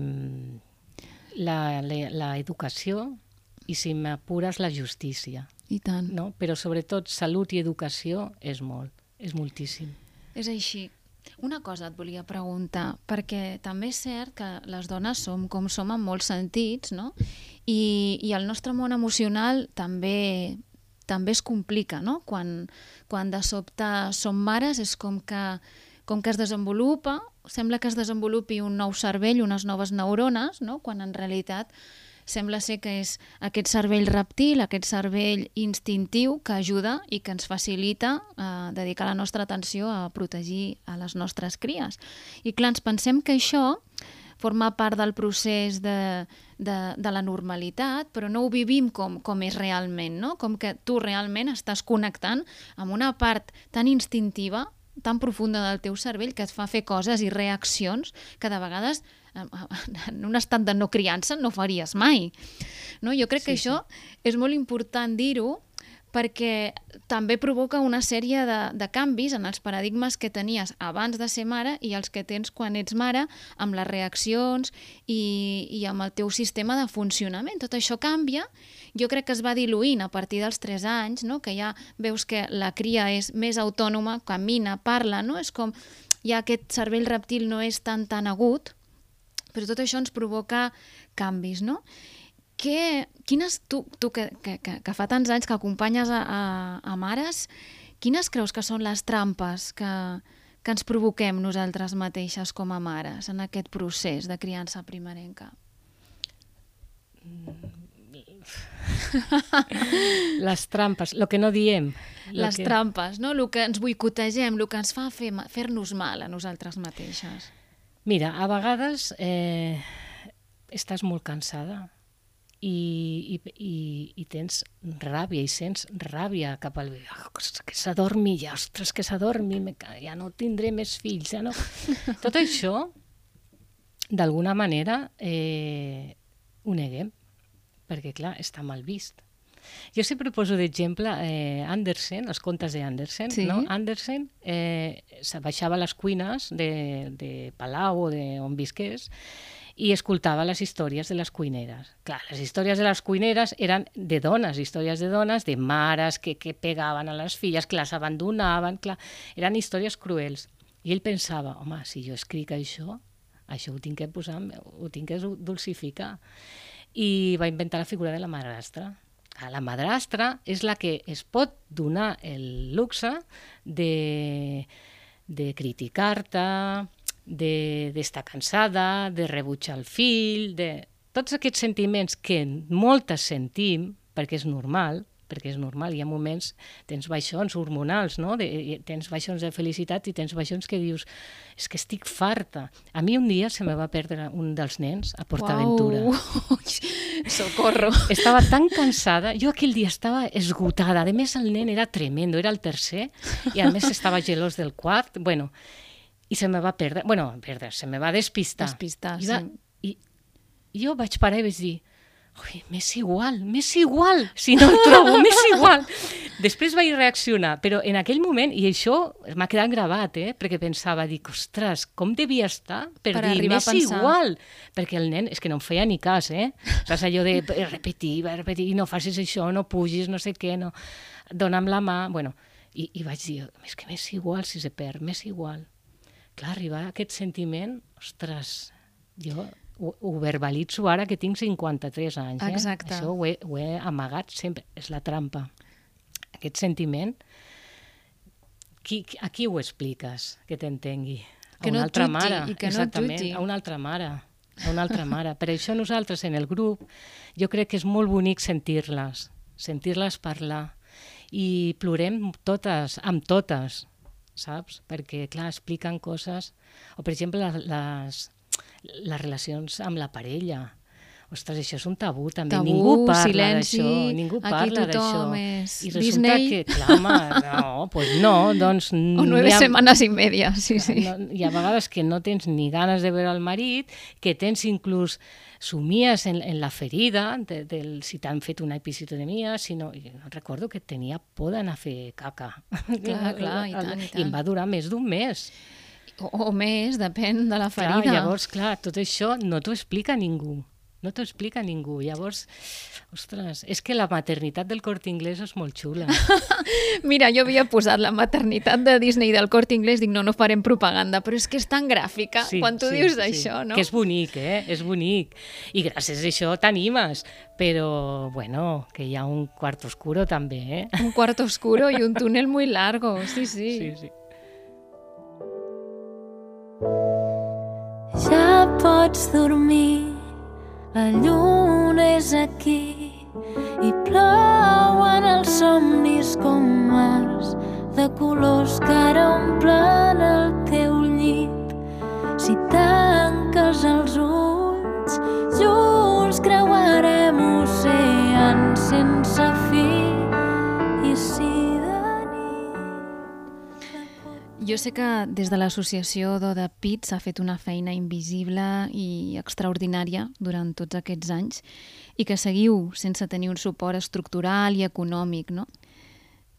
E: la, la, la educació i, si m'apures, la justícia.
C: I tant.
E: No? Però sobretot salut i educació és molt, és moltíssim.
C: És així. Una cosa et volia preguntar, perquè també és cert que les dones som com som en molts sentits, no? I, i el nostre món emocional també, també es complica, no? Quan, quan de sobte som mares és com que, com que es desenvolupa, sembla que es desenvolupi un nou cervell, unes noves neurones, no? Quan en realitat sembla ser que és aquest cervell reptil, aquest cervell instintiu que ajuda i que ens facilita eh, dedicar la nostra atenció a protegir a les nostres cries. I clar, ens pensem que això forma part del procés de, de, de la normalitat, però no ho vivim com, com és realment, no? Com que tu realment estàs connectant amb una part tan instintiva, tan profunda del teu cervell, que et fa fer coses i reaccions que de vegades en un estat de no criança no faries mai. No? Jo crec sí, que això sí. És molt important dir-ho perquè també provoca una sèrie de, de canvis en els paradigmes que tenies abans de ser mare i els que tens quan ets mare, amb les reaccions i, i amb el teu sistema de funcionament. Tot això canvia. Jo crec que es va diluint a partir dels tres anys, no? Que ja veus que la cria és més autònoma, camina, parla, no? És com ja aquest cervell reptil no és tan tan agut, però tot això ens provoca canvis, no? Que, quines, tu, tu que, que, que fa tants anys que acompanyes a, a, a mares, quines creus que són les trampes que, que ens provoquem nosaltres mateixes com a mares en aquest procés de criança primerenca?
E: Les trampes, el que no diem.
C: Les
E: que...
C: trampes, no? El que ens boicotegem, el que ens fa fer, fer-nos mal a nosaltres mateixes.
E: Mira, a vegades eh, estàs molt cansada i, i, i, i tens ràbia i sents ràbia cap al... Oh, que s'adormi ja, ostres, que s'adormi, ja no tindré més fills, ja no... Tot això, d'alguna manera, eh, ho neguem, perquè, clar, està mal vist. Jo sempre poso d'exemple eh, Andersen, els contes d'Andersen, sí. No? Andersen eh, baixava a les cuines de, de Palau o d'on visqués i escoltava les històries de les cuineres. Clar, les històries de les cuineres eren de dones, històries de dones, de mares que, que pegaven a les filles, que les abandonaven, clar, eren històries cruels. I ell pensava, home, si jo escric això, això ho tinc que posar, ho tinc que dulcificar. I va inventar la figura de la madrastra. La madrastra és la que es pot donar el luxe de, de criticar-te, d'estar de, cansada, de rebutjar el fill, de tots aquests sentiments que moltes sentim, perquè és normal, perquè és normal, hi ha moments, tens baixons hormonals, no? De, tens baixons de felicitat i tens baixons que dius, és que estic farta. A mi un dia se me va perdre un dels nens a PortAventura.
C: Uau, socorro.
E: Estava tan cansada, jo aquell dia estava esgotada, a més el nen era tremendo, era el tercer, i a més estava gelós del quart, bueno, i se me va perdre, bueno, perdre, se me va despistar.
C: Despistar,
E: I va,
C: sí.
E: I jo vaig parar i vaig dir, ui, m'és igual, m'és igual, si no el trobo, m'és igual. Després vaig reaccionar, però en aquell moment, i això m'ha quedat gravat, eh? Perquè pensava, dic, ostres, com devia estar per, per dir, m'és igual? Perquè el nen, és que no em feia ni cas, eh? Saps allò de repetir, repetir, no facis això, no pugis, no sé què, no, dona'm la mà, bueno, i, i vaig dir, és que m'és igual si se perd, m'és igual. Clar, arribar a aquest sentiment, ostres, jo... Ho, ho verbalitzo ara que tinc cinquanta-tres anys. Eh?
C: Exacte.
E: Això ho he, ho he amagat sempre. És la trampa. Aquest sentiment, qui, a qui ho expliques que t'entengui? A
C: que
E: una
C: no
E: altra
C: tuti,
E: mare.
C: I que
E: Exactament,
C: no tuti.
E: A una altra mare. A una altra mare. Per això nosaltres en el grup jo crec que és molt bonic sentir-les, sentir-les parlar. I plorem totes, amb totes, saps? Perquè, clar, expliquen coses... O, per exemple, les... les relacions amb la parella. Ostres, això és un tabú, també.
C: Tabú,
E: ningú parla
C: silenci,
E: d'això. Ningú parla d'això.
C: És
E: I resulta
C: Disney.
E: que, clar, home, no, pues no, doncs...
C: O nueve ha... semanas i media, sí, sí.
E: No, hi ha vegades que no tens ni ganes de veure el marit, que tens inclús somies en, en la ferida, de, de, si t'han fet una episiotomia, si no, no recordo que tenia por d'anar a fer caca.
C: Clar, clar, i tant, i tant.
E: I em va durar més d'un mes.
C: O, o més, depèn de la ferida.
E: Clar, llavors, clar, tot això no t'ho explica ningú. no t'ho explica ningú. Llavors, ostres, és que la maternitat del Corte Inglés és molt xula.
C: Mira, jo havia posat la maternitat de Disney del Corte Inglés, dic, no, no farem propaganda, però és que és tan gràfica
E: sí,
C: quan tu
E: sí,
C: dius
E: sí.
C: això, no?
E: Que és bonic, eh? És bonic. I gràcies a això t'animes. Però, bueno, que hi ha un cuarto oscuro també, eh?
C: Un cuarto oscuro i un túnel muy largo, sí, sí.
E: Sí, sí.
B: Ja pots dormir, la lluna és aquí i plouen els somnis com mars de colors que ara omplen el teu llit. Si tanques els ulls, junts creuarem oceans sense fi. I si
C: jo sé que des de l'associació d'Oda Pit s'ha fet una feina invisible i extraordinària durant tots aquests anys i que seguiu sense tenir un suport estructural i econòmic, no?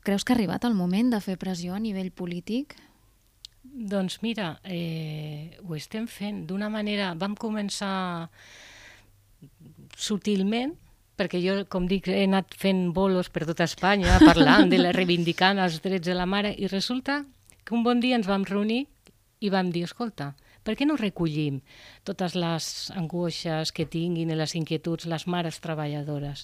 C: Creus que ha arribat el moment de fer pressió a nivell polític?
E: Doncs mira, eh, ho estem fent d'una manera... Vam començar sutilment, perquè jo, com dic, he anat fent bolos per tota Espanya, parlant, de la, reivindicant els drets de la mare, i resulta que un bon dia ens vam reunir i vam dir, escolta, per què no recollim totes les angoixes que tinguin i les inquietuds les mares treballadores?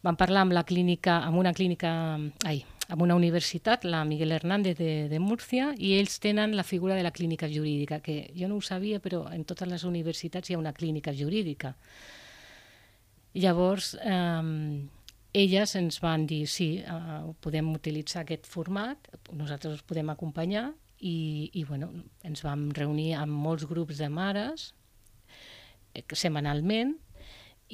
E: Vam parlar amb la clínica, amb una clínica, ai, amb una universitat, la Miguel Hernández de, de Múrcia, i ells tenen la figura de la clínica jurídica, que jo no ho sabia, però en totes les universitats hi ha una clínica jurídica. Llavors, eh, elles ens van dir, sí, uh, podem utilitzar aquest format, nosaltres us podem acompanyar, i, i bueno, ens vam reunir amb molts grups de mares, eh, setmanalment,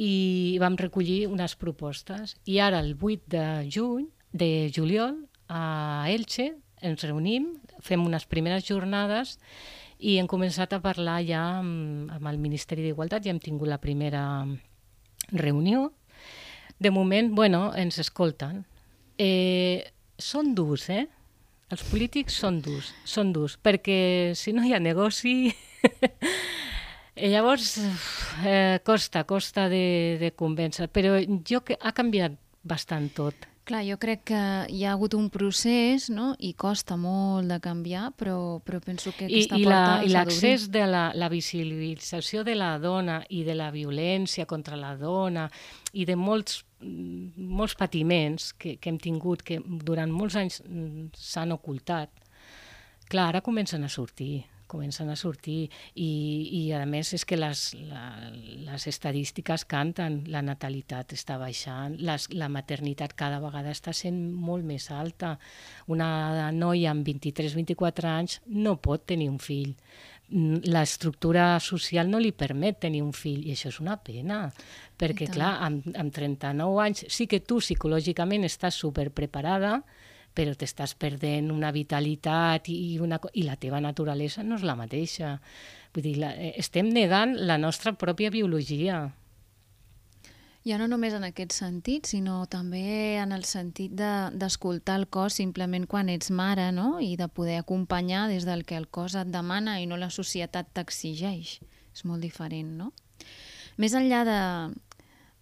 E: i vam recollir unes propostes. I ara, el vuit de juny, de juliol, a Elche, ens reunim, fem unes primeres jornades i hem començat a parlar ja amb, amb el Ministeri d'Igualtat, ja hem tingut la primera reunió. De moment, bueno, ens escolten. Eh, són durs, eh? Els polítics són durs, són durs, perquè si no hi ha negoci... Llavors, eh, costa, costa de, de convèncer, però jo que ha canviat bastant tot.
C: Clar, jo crec que hi ha hagut un procés, no?, i costa molt de canviar, però, però penso que aquesta
E: I, i
C: porta
E: la,
C: s'ha d'obrir.
E: I l'accés de la, la visibilització de la dona i de la violència contra la dona i de molts, molts patiments que, que hem tingut, que durant molts anys s'han ocultat, clar, ara comencen a sortir. comencen a sortir i, i a més és que les, la, les estadístiques canten, la natalitat està baixant, les, la maternitat cada vegada està sent molt més alta. Una noia amb vint-i-tres vint-i-quatre anys no pot tenir un fill. L'estructura social no li permet tenir un fill i això és una pena, perquè clar, amb, amb trenta-nou anys sí que tu psicològicament estàs superpreparada, però t'estàs perdent una vitalitat i, una, i la teva naturalesa no és la mateixa. Vull dir, la, estem negant la nostra pròpia biologia.
C: Ja no només en aquest sentit, sinó també en el sentit d'escoltar de, el cos simplement quan ets mare, no? I de poder acompanyar des del que el cos et demana i no la societat t'exigeix. És molt diferent, no? Més enllà de,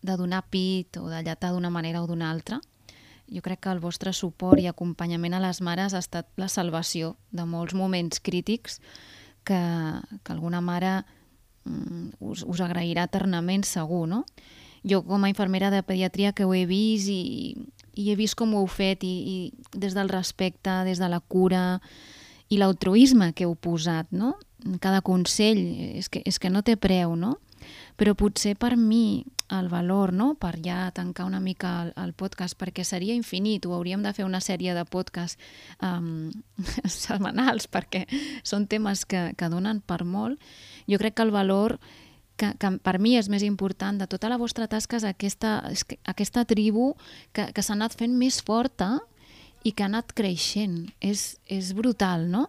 C: de donar pit o de llatar d'una manera o d'una altra, jo crec que el vostre suport i acompanyament a les mares ha estat la salvació de molts moments crítics que, que alguna mare mm, us, us agrairà eternament segur, no? Jo com a infermera de pediatria que ho he vist i, i he vist com ho heu fet i, i des del respecte, des de la cura i l'altruisme que heu posat, no? Cada consell és que, és que no té preu, no? Però potser per mi el valor, no? Per ja tancar una mica el, el podcast, perquè seria infinit, ho hauríem de fer una sèrie de podcasts um, setmanals, perquè són temes que, que donen per molt. Jo crec que el valor que, que per mi és més important de tota la vostra tasca és aquesta, aquesta tribu que, que s'ha anat fent més forta i que ha anat creixent. És, és brutal, no?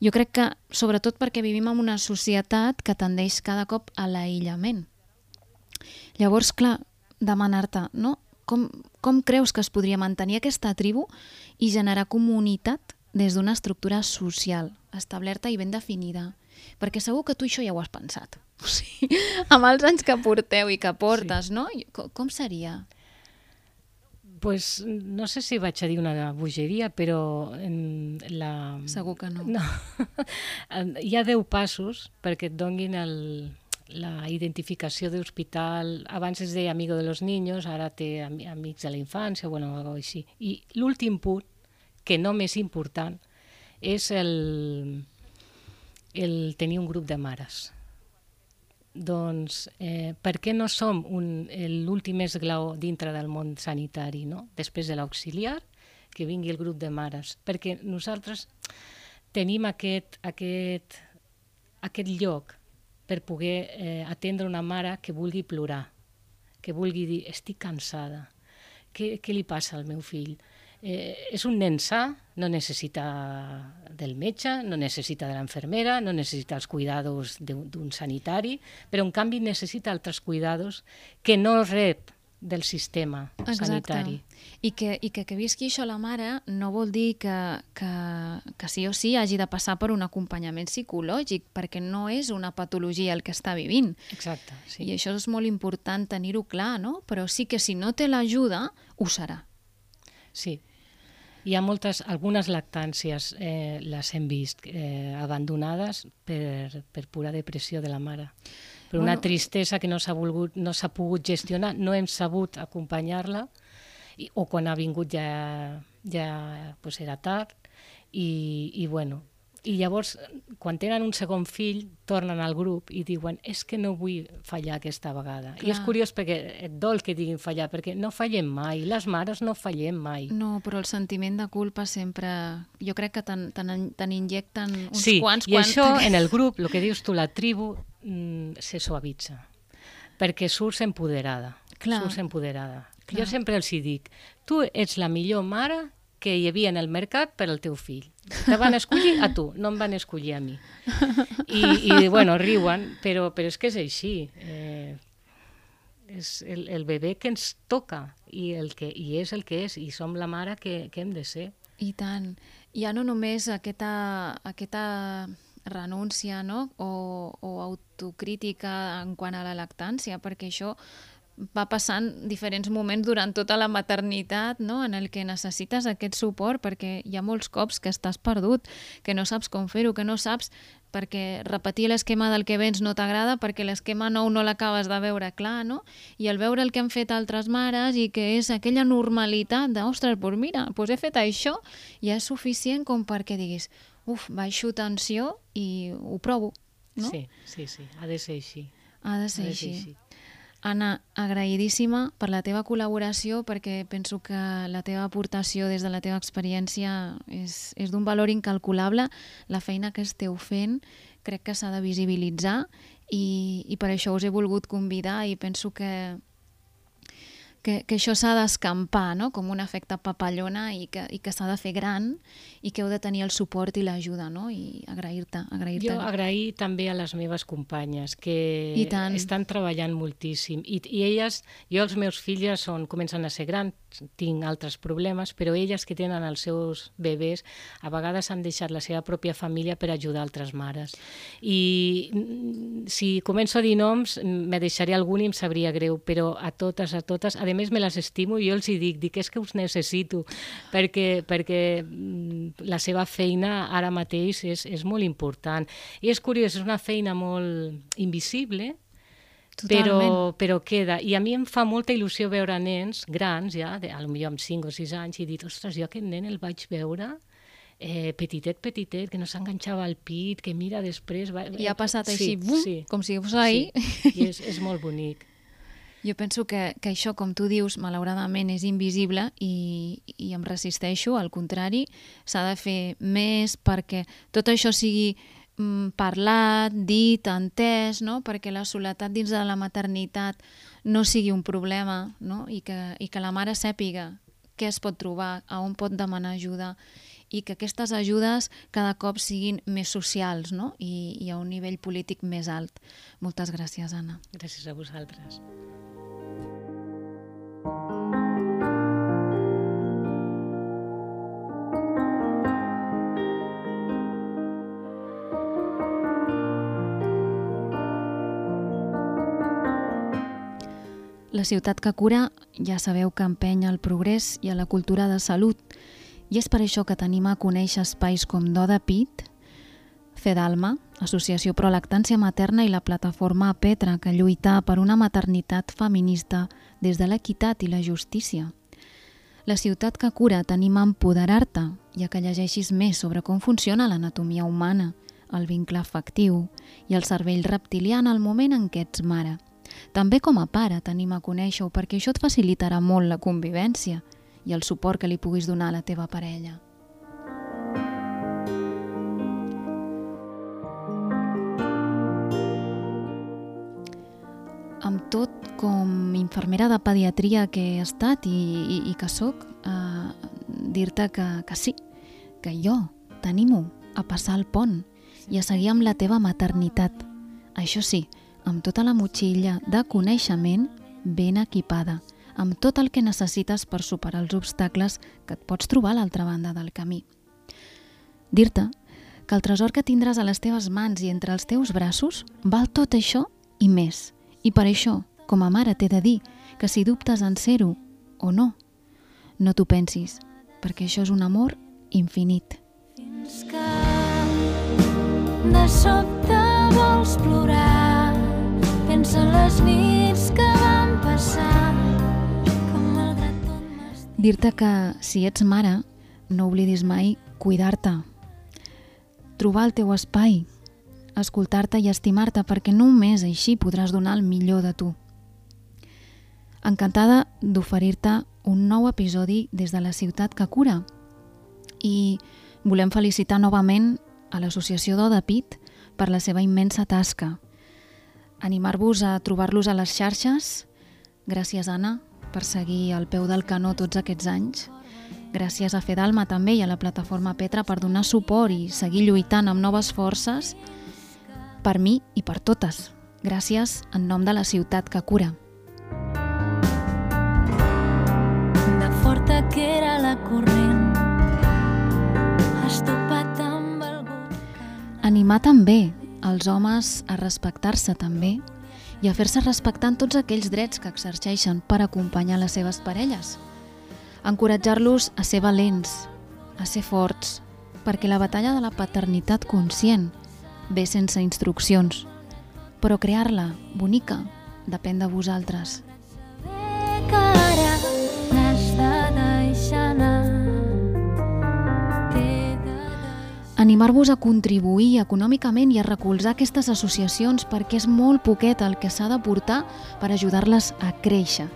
C: Jo crec que, sobretot perquè vivim en una societat que tendeix cada cop a l'aïllament. Llavors, clar, demanar-te, no? Com, com creus que es podria mantenir aquesta tribu i generar comunitat des d'una estructura social establerta i ben definida? Perquè segur que tu això ja ho has pensat. O sigui, amb els anys que porteu i que portes, sí. no? Com, com seria?
E: Pues no sé si vaig a dir una bogeria, però en la...
C: Segur que no.
E: No. Hi ha deu passos perquè et donguin el, la identificació d'hospital. Abans es deia amigo de los niños, ara té amics de la infància, bueno, algo així. I l'últim punt, que no més important, és el, el tenir un grup de mares. Doncs eh, per què no som l'últim esglaó dintre del món sanitari, no? Després de l'auxiliar, que vingui el grup de mares? Perquè nosaltres tenim aquest, aquest, aquest lloc per poder eh, atendre una mare que vulgui plorar, que vulgui dir, estic cansada, què, què li passa al meu fill? Eh, és un nen sa, no necessita del metge, no necessita de l'infermera, no necessita els cuidados d'un sanitari, però en canvi necessita altres cuidados que no rep del sistema
C: Exacte.
E: sanitari.
C: I que, i que que visqui això la mare no vol dir que, que, que sí o sí hagi de passar per un acompanyament psicològic, perquè no és una patologia el que està vivint.
E: Exacte, sí.
C: I això és molt important tenir-ho clar, no? Però sí que si no té l'ajuda, ho serà.
E: Sí. Hi ha moltes, algunes lactàncies, eh, les hem vist eh, abandonades per, per pura depressió de la mare. Per una bueno, tristesa que no s'ha volgut, no s'ha pogut gestionar, no hem sabut acompanyar-la, i, o quan ha vingut ja, ja pues era tard, i, i bueno, i llavors, quan tenen un segon fill, tornen al grup i diuen és que no vull fallar aquesta vegada. Clar. I és curiós perquè et dol que diguin fallar, perquè no fallem mai, les mares no fallem mai.
C: No, però el sentiment de culpa sempre... Jo crec que te n'injecten uns
E: sí,
C: quants...
E: Sí, i això en el grup, el que dius tu, la tribu, mm, se suavitza, perquè surts empoderada.
C: Clar.
E: Surts empoderada.
C: Clar.
E: Jo sempre els hi dic, tu ets la millor mare que hi havia en el mercat per al teu fill. Te van escollir a tu, no em van escollir a mi. I, i bueno, riuen, però, però és que és així. Eh, és el, el bebè que ens toca i, el que, i és el que és, i som la mare que, que hem de ser.
C: I tant. Ja no només aquesta, aquesta renúncia, no? o, o autocrítica en quant a la lactància, perquè això va passant diferents moments durant tota la maternitat, no? En el que necessites aquest suport, perquè hi ha molts cops que estàs perdut, que no saps com fer-ho, que no saps perquè repetir l'esquema del que vens no t'agrada, perquè l'esquema nou no l'acabes de veure clar, no? I al veure el que han fet altres mares i que és aquella normalitat de, ostres, doncs mira, doncs he fet això, ja és suficient com perquè diguis, uf, baixo tensió i ho provo, no?
E: Sí, sí, sí, ha de ser així.
C: Ha de ser, ha de ser així. així. Anna, agraïdíssima per la teva col·laboració, perquè penso que la teva aportació des de la teva experiència és, és d'un valor incalculable. La feina que esteu fent crec que s'ha de visibilitzar i, i per això us he volgut convidar i penso que, que, que això s'ha d'escampar, no? Com un efecte papallona i que, i que s'ha de fer gran i que heu de tenir el suport i l'ajuda, no? I agrair-te. agrair-te.
E: Jo agrair també a les meves companyes que estan treballant moltíssim i, i elles, jo els meus filles són, comencen a ser grans, tinc altres problemes, però elles que tenen els seus bebès a vegades han deixat la seva pròpia família per ajudar altres mares. I si començo a dir noms me deixaré algun i em sabria greu, però a totes, a totes, a més me les estimo i jo els hi dic, dic és que us necessito, perquè, perquè la seva feina ara mateix és, és molt important. I és curiós, és una feina molt invisible, però, però queda. I a mi em fa molta il·lusió veure nens grans, ja, de, potser amb cinc o sis anys, i dir, ostres, jo aquest nen el vaig veure eh, petitet, petitet, que no s'enganxava al pit, que mira després... Va...
C: I ha passat
E: sí,
C: així, bum,
E: sí,
C: com si fos ahir.
E: Sí. I és, és molt bonic.
C: Jo penso que, que això, com tu dius, malauradament és invisible i, i em resisteixo, al contrari, s'ha de fer més perquè tot això sigui mm, parlat, dit, entès, no? Perquè la soledat dins de la maternitat no sigui un problema, no? I, que, i que la mare sàpiga què es pot trobar, a on pot demanar ajuda i que aquestes ajudes cada cop siguin més socials, no? I, i a un nivell polític més alt. Moltes gràcies, Anna.
E: Gràcies a vosaltres.
C: La ciutat que cura ja sabeu que empenya al progrés i a la cultura de salut, i és per això que tenim a conèixer espais com Do de Pit, Fedalma, Associació Pro Lactància Materna, i la plataforma Petra, que lluita per una maternitat feminista des de l'equitat i la justícia. La ciutat que cura tenim a empoderar-te i a que llegeixis més sobre com funciona l'anatomia humana, el vincle afectiu i el cervell reptilià en el moment en què ets mare. També com a pare tenim a conèixer-ho, perquè això et facilitarà molt la convivència i el suport que li puguis donar a la teva parella. Amb tot, com infermera de pediatria que he estat i, i, i que soc, eh, dir-te que, que sí, que jo t'animo a passar el pont i a seguir amb la teva maternitat. Això sí, amb tota la motxilla de coneixement ben equipada, amb tot el que necessites per superar els obstacles que et pots trobar a l'altra banda del camí. Dir-te que el tresor que tindràs a les teves mans i entre els teus braços val tot això i més. I per això, com a mare, t'he de dir que si dubtes en ser-ho o no, no t'ho pensis, perquè això és un amor infinit.
B: Fins que de sobte vols plorar, pensa en les nits que van passar, que malgrat tot m'estic...
C: Dir-te que si ets mare, no oblidis mai cuidar-te, trobar el teu espai, escoltar-te i estimar-te, perquè només així podràs donar el millor de tu. Encantada d'oferir-te un nou episodi des de la ciutat que cura. I volem felicitar novament a l'Associació Do de Pit per la seva immensa tasca. Animar-vos a trobar-los a les xarxes. Gràcies, Anna, per seguir al peu del canó tots aquests anys. Gràcies a Fedalma també i a la plataforma Petra per donar suport i seguir lluitant amb noves forces per mi i per totes. Gràcies en nom de la ciutat que cura.
B: De forta que era la corrent, has topat amb algú.
C: Animar també els homes a respectar-se també i a fer-se respectar en tots aquells drets que exerceixen per acompanyar les seves parelles. Encoratjar-los a ser valents, a ser forts, perquè la batalla de la paternitat conscient ve sense instruccions, però crear-la bonica depèn de vosaltres.
B: Bé que ara n'has de deixar anar.
C: Animar-vos a contribuir econòmicament i a recolzar aquestes associacions, perquè és molt poquet el que s'ha de portar per ajudar-les a créixer.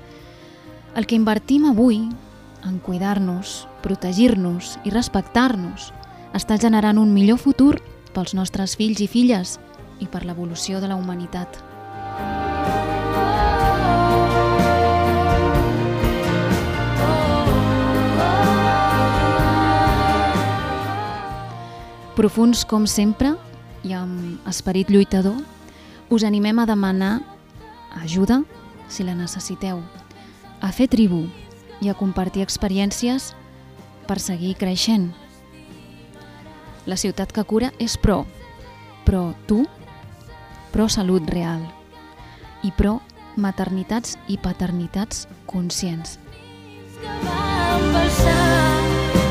C: El que invertim avui en cuidar-nos, protegir-nos i respectar-nos està generant un millor futur pels nostres fills i filles i per l'evolució de la humanitat. Profuns com sempre i amb esperit lluitador, us animem a demanar ajuda si la necessiteu, a fer tribu i a compartir experiències per seguir creixent. La ciutat que cura és pro, però tu, pro salut real i pro maternitats i paternitats conscients.
B: Que van passar,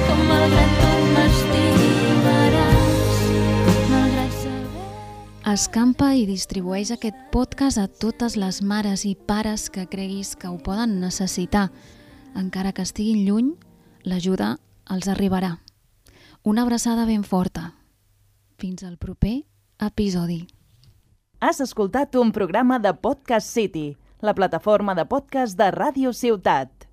B: com malgrat tot m'estimaràs, malgrat saber...
C: Escampa i distribueix aquest podcast a totes les mares i pares que creguis que ho poden necessitar. Encara que estiguin lluny, l'ajuda els arribarà. Una abraçada ben forta. Fins al proper episodi.
A: Has escoltat un programa de Podcast City, la plataforma de podcast de Ràdio Ciutat.